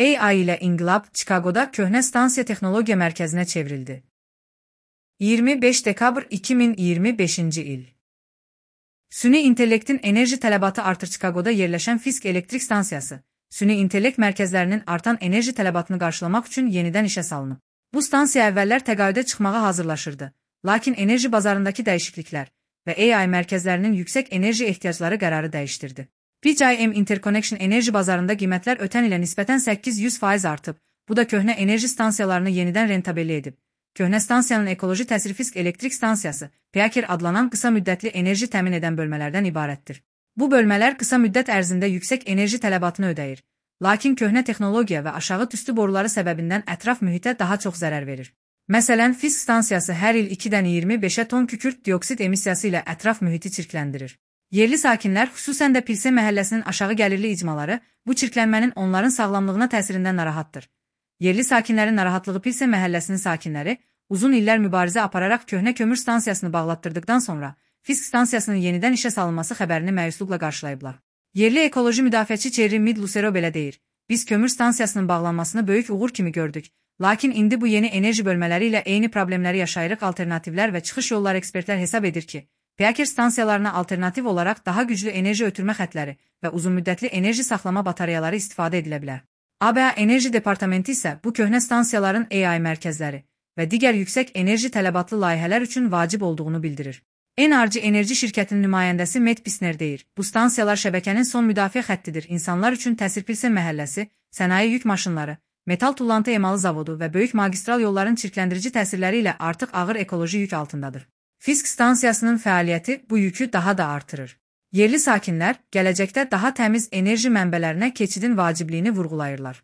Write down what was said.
AI ilə inqilab Çikaqoda köhnə stansiya texnologiya mərkəzinə çevrildi. 25 dekabr 2025-ci il. Süni intellektin enerji tələbatı artır. Çikaqoda yerləşən Fisk elektrik stansiyası, süni intellekt mərkəzlərinin artan enerji tələbatını qarşılamaq üçün yenidən işə salınıb. Bu stansiya əvvəllər təqaüdə çıxmağa hazırlaşırdı, lakin enerji bazarındakı dəyişikliklər və AI mərkəzlərinin yüksək enerji ehtiyacları qərarı dəyişdirdi. PJM Interconnection enerji bazarında qiymətlər ötən ilə nisbətən 800% artıb, bu da köhnə enerji stansiyalarını yenidən rentabelli edib. Köhnə stansiyanın ekoloji təsiri Fisk elektrik stansiyası, PEAKER adlanan qısa müddətli enerji təmin edən bölmələrdən ibarətdir. Bu bölmələr qısa müddət ərzində yüksək enerji tələbatını ödəyir, lakin köhnə texnologiya və aşağı tüstü boruları səbəbindən ətraf mühitə daha çox zərər verir. Məsələn, Fisk stansiyası hər il 2-dən 25-ə ton kükürt dioksid emissiyası ilə ətraf mühiti çirkləndirir. Yerli sakinlər, xüsusən də Pilsen məhəlləsinin aşağı gəlirli icmaları, bu çirklənmənin onların sağlamlığına təsirindən narahatdır. Yerli sakinlərin narahatlığı Pilsen məhəlləsinin sakinləri uzun illər mübarizə apararaq köhnə kömür stansiyasını bağlatdırdıqdan sonra Fisk stansiyasının yenidən işə salınması xəbərini məyusluqla qarşılayıblar. Yerli ekoloji müdafiəçi Thierry Mid-Lucero belə deyir: "Biz kömür stansiyasının bağlanmasını böyük uğur kimi gördük, lakin indi bu yeni enerji bölmələri ilə eyni problemləri yaşayırıq. Alternativlər və çıxış yolları ekspertlər hesab edir ki, PEAKER stansiyalarına alternativ olaraq daha güclü enerji ötürmə xətləri və uzunmüddətli enerji saxlama batareyaları istifadə edilə bilər." ABA Enerji Departamenti isə bu köhnə stansiyaların AI mərkəzləri və digər yüksək enerji tələbatlı layihələr üçün vacib olduğunu bildirir. Enerji Enerji şirkətinin nümayəndəsi Matt Pisner deyir: "Bu stansiyalar şəbəkənin son müdafiə xəttidir. İnsanlar üçün təsir Pilsen məhəlləsi, sənaye yük maşınları, metal tullantı emalı zavodu və böyük magistral yolların çirkləndirici təsirləri ilə artıq ağır ekoloji yük altındadır." Fisk stansiyasının fəaliyyəti bu yükü daha da artırır. Yerli sakinlər gələcəkdə daha təmiz enerji mənbələrinə keçidin vacibliyini vurğulayırlar.